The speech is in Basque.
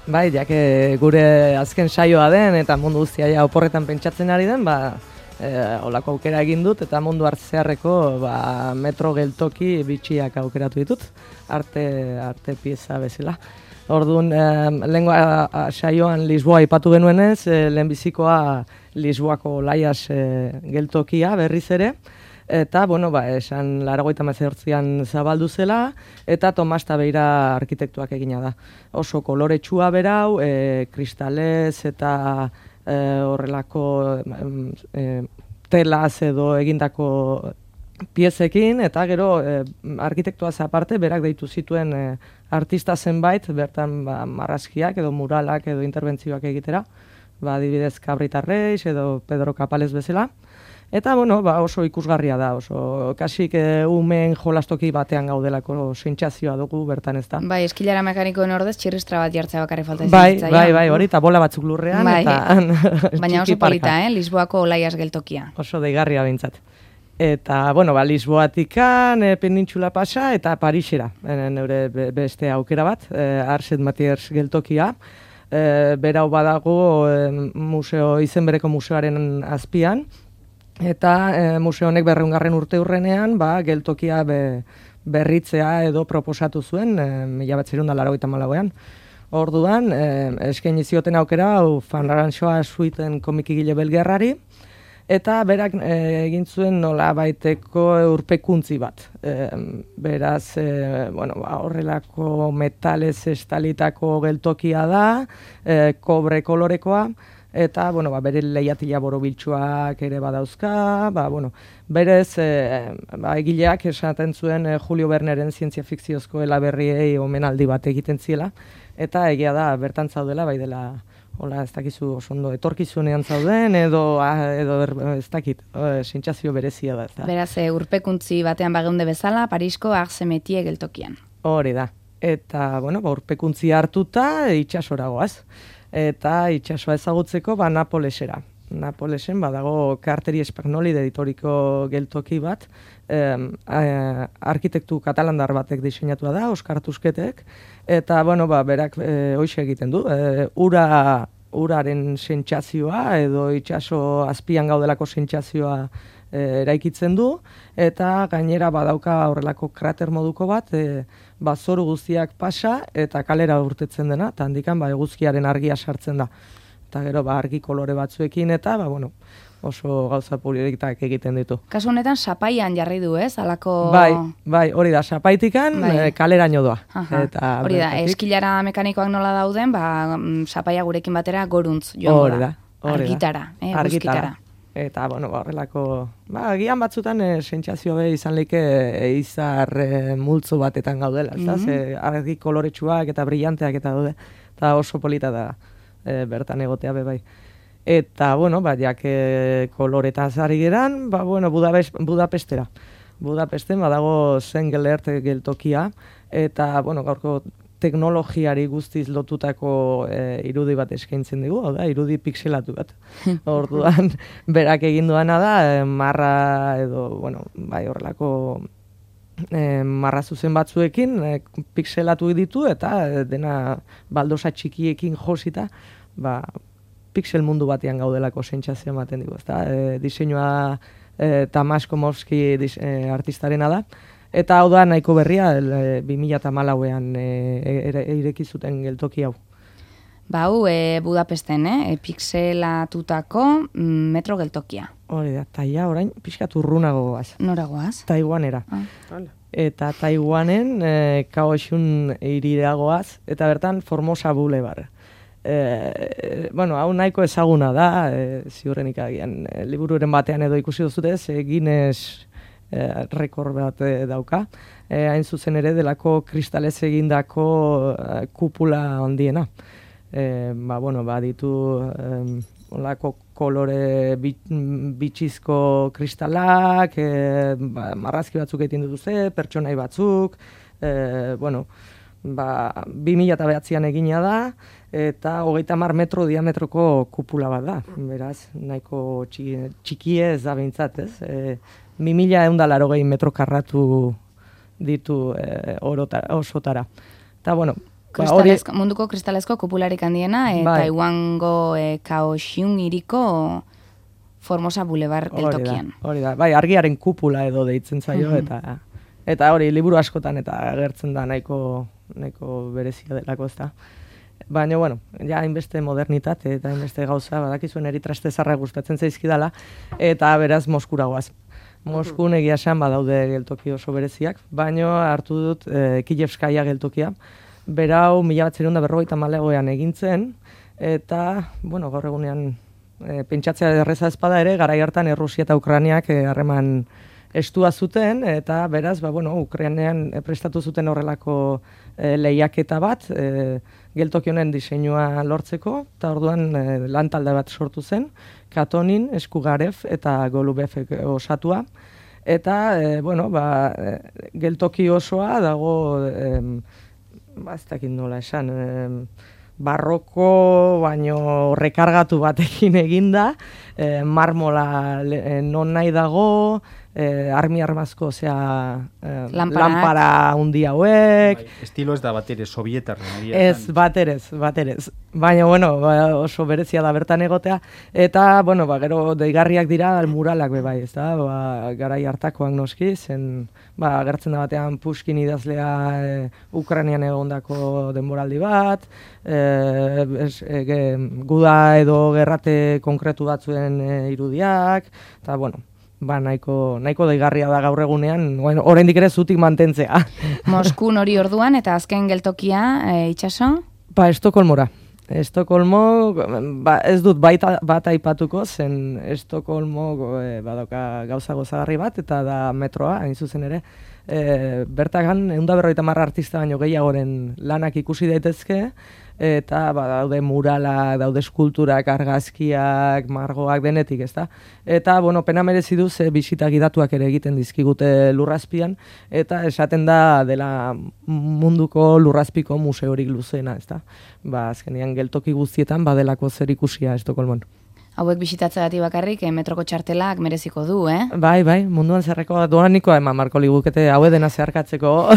Bai, gure azken saioa den eta mundu guztia ja oporretan pentsatzen ari den, olako aukera egin dut eta mundu hartzearreko metro geltoki bitxiak aukeratu ditut, arte pieza bezala. Orduan, lehengoa saioan Lisboa aipatu genuenez, lehenbizikoa Lisboako Laias geltokia berriz ere, eta, esan 1989an zabaldu zela, eta Tomas Tabeira arkitektuak egina da. Oso koloretsua berau, kristalez eta horrelako telaz edo egindako piezekin, eta gero arkitektuaz aparte berak deitu zituen artista zenbait, bertan marrazkiak edo muralak edo interbentzioak egitera, adibidez Cabrita Reis edo Pedro Capales bezala. Eta, oso ikusgarria da, oso kasik umeen jolastoki batean gaudelako sentsazioa dugu bertan ez da. Bai, eskilara mekanikoen ordez txirristra bat jartzea bakarri falta Bai, hori, eta bola batzuk lurrean, eta baina oso polita, Lisboako Laias geltokia. Oso deigarria behintzat. Eta, Lisboatikan, penintxula pasa, eta Parisera, neure beste aukera bat, Arset Matiers geltokia. Berau badago izen bereko museoaren azpian, eta museo honek 200. urte hurrenean geltokia berritzea edo proposatu zuen 1984an. Orduan, eskaini zioten aukera Van Ranchoa suiten komikigile belgerrari, eta berak egin zuen nolabaiteko urpekuntzi bat. Beraz, horrelako metalez estalitako geltokia da, kobre kolorekoa, eta, bere leihatila borobiltsuak ere badauzka, berez, egileak esaten zuen Julio Verneren zientzia fikziozko elaberriei omenaldi bat egiten ziela, eta egia da, bertan zaudela, bai dela, ez dakizu oso ondo, etorkizunean zauden, edo ez dakit, sentsazio berezia da. Beraz, urpekuntzi batean bageunde bezala, Parisko Arse Metier geltokian. Hori da, eta, urpekuntzi hartuta, itxasora goaz. Eta itxasoa ezagutzeko Napolesera. Napolesen badago Carteri Spagnoli editoriko geltoki bat, arkitektu katalandar batek diseinatua da, Oskar Tusketek, eta berak hoxe egiten du, uraren sentsazioa edo itxaso azpian gaudelako sentsazioa eraikitzen du, eta gainera badauka horrelako krater moduko bat, zoru guztiak pasa eta kalera urtetzen dena, eta handikan eguzkiaren argia sartzen da. Eta gero argi kolore batzuekin eta oso gauza politak egiten ditu. Kasu honetan sapaian jarri du, ez? Alako... Bai, hori da, sapaitikan kaleraino doa. Hori da, eskilara mekanikoak nola dauden, sapaia gurekin batera goruntz joan da. Argitara, eguzkitara. Eta, horrelako, agian batzutan sentsazio izan leike izar multzo batetan gaudela, argi koloretsuak eta brillanteak eta daude, eta oso polita da bertan egotea bai. Eta, jak koloretaz ari geran, Budapestera. Budapesten badago Sengelert geltokia, eta, gaurko teknologiari guztiz lotutako irudi bat eskaintzen dugu, irudi pixelatu bat. Orduan, berak egin duana da, marra edo, horrelako marra zuzen batzuekin pixelatu ditu, eta dena baldosa txikiekin josita, pixel mundu batean gaudelako sentsazioa ematen dugu. Diseinua Tamas Komorski artistarena da, eta hau da nahiko berria 2014an ireki zuten geltoki hau. Hau Budapesten, pixelatutako metro geltokia. Hori da, taia orain pixkat urrunago goaz. Nora goaz? Taiwanera. Eta Taiwanen Kaohsiung hirira goaz, eta bertan Formosa Boulevard. Hau nahiko ezaguna da, ziurrenik agian libururen batean edo ikusi duzutez, Guinness rekord bat dauka, hain zuzen ere delako kristalez egindako kupula handiena. Ditu olako kolore bitxizko kristalak, marrazki batzuk egiten dituzte, pertsonai batzuk, 2009an egina da, eta 30 metro diametroko kupula bat da. Beraz, nahiko txikie ez da behintzat, ez? 2180 metro karratu ditu osotara. Eta, munduko kristalezko kupularik handiena, eta Taiwango Kaohsiung hiriko Formosa Boulevard geltokian. Hori da, bai, argiaren kupula edo deitzen zaio, eta hori, liburu askotan eta agertzen da nahiko berezia delako, ez da. Baina, bueno, ja hainbeste modernitate eta hainbeste gauza, badakizuen eritraste zarra gustatzen zaizkidala, eta beraz Moskura goaz. Moskun egia esan badaude geltoki oso bereziak, baina hartu dut Kijevskaya geltokia. Berau 1954an egintzen, eta, bueno, gaur egunean pentsatzea erreza ezpada ere, garai hartan Errusia eta Ukrainiak harreman estua zuten, eta beraz, Ukrainean prestatu zuten horrelako lehiaketa bat, geltoki honen diseinua lortzeko, eta orduan lantalde bat sortu zen, Katonin, Eskugarev eta Golubevek osatua, eta, geltoki osoa dago, ez dakit nola esan, barroko, baino rekargatu batekin eginda, marmola non nahi dago, armazko, lampara hundi hauek. Estilo ez da batere, sovietar. Ez, baterez. Baina, oso berezia da bertan egotea. Eta, gero deigarriak dira muralak bebai, ez da? Garai hartakoak noski, zen, agertzen da batean Pushkin idazlea Ukrainian egondako denboraldi bat, guda edo gerrate konkretu batzuen irudiak, eta, nahiko deigarria da gaur egunean, oraindik ere zutik mantentzea. Moskun hori orduan, eta azken geltokia, itxaso? Estokolmora. Estokolmo, ez dut bat aipatuko, zen Estokolmo badauka gauza gozagarri bat, eta da metroa, hain zuzen ere. Bertagan, 150 artista baino gehiagoren lanak ikusi daitezke, eta daude murala, daude eskulturak, argazkiak, margoak, denetik, ezta? Eta, pena merezi du ze bisita gidatuak ere egiten dizkigute lurrazpian, eta esaten da dela munduko lurrazpiko museorik luzeena, ezta? Azkenean geltoki guztietan badelako zer ikusia Estokolmon. Hauek bisitatzea bakarrik, metroko txartelak mereziko du, Bai, munduan zerreko doanikoa eman marko ligukete, haue dena zeharkatzeko.